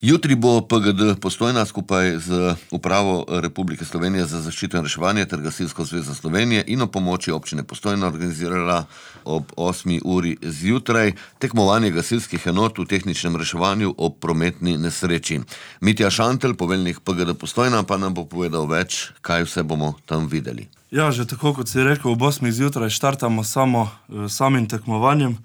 Jutri bo PGD Postojna skupaj z Upravo Republike Slovenije za zaščito in reševanje ter Gasilsko zvezo Slovenije in ob pomoči občine Postojna organizirala ob 8. uri zjutraj tekmovanje gasilskih enot v tehničnem reševanju ob prometni nesreči. Mitja Šantelj, poveljnik PGD Postojna, pa nam bo povedal več, kaj vse bomo tam videli. Ja, že tako kot si rekel, ob 8. zjutraj štartamo samim tekmovanjem.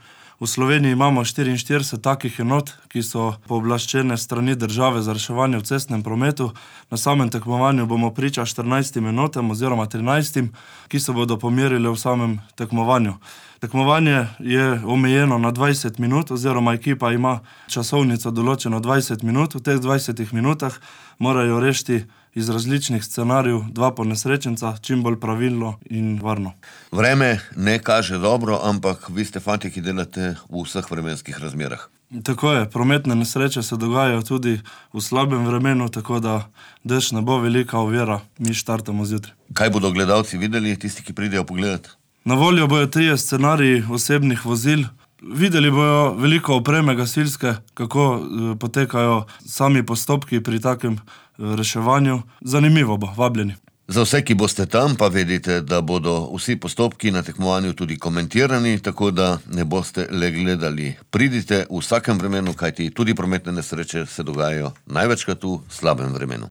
V Sloveniji imamo 44 takih enot, ki so pooblaščene strani države za reševanje v cestnem prometu. Na samem tekmovanju bomo priča 14 enotam oziroma 13, ki se bodo pomerile v samem tekmovanju. Tekmovanje je omejeno na 20 minut oziroma ekipa ima časovnico določeno 20 minut. V teh 20 minutah morajo rešiti iz različnih scenarijev 2 ponesrečenca, čim bolj pravilno in varno. Vreme ne kaže dobro, ampak vi ste fantje, ki delate v vseh vremenskih razmerah. Tako je, prometne nesreče se dogajajo tudi v slabem vremenu, tako da dež ne bo velika ovira, mi štartamo zjutraj. Kaj bodo gledalci videli, tisti, ki pridejo pogledat? Na voljo bojo 3 scenariji osebnih vozil. Videli bojo veliko opreme gasilske, kako potekajo sami postopki pri takem reševanju. Zanimivo bo, vabljeni. Za vse, ki boste tam, pa vedite, da bodo vsi postopki na tekmovanju tudi komentirani, tako da ne boste le gledali. Pridite v vsakem vremenu, kajti tudi prometne nesreče se dogajajo največkrat v slabem vremenu.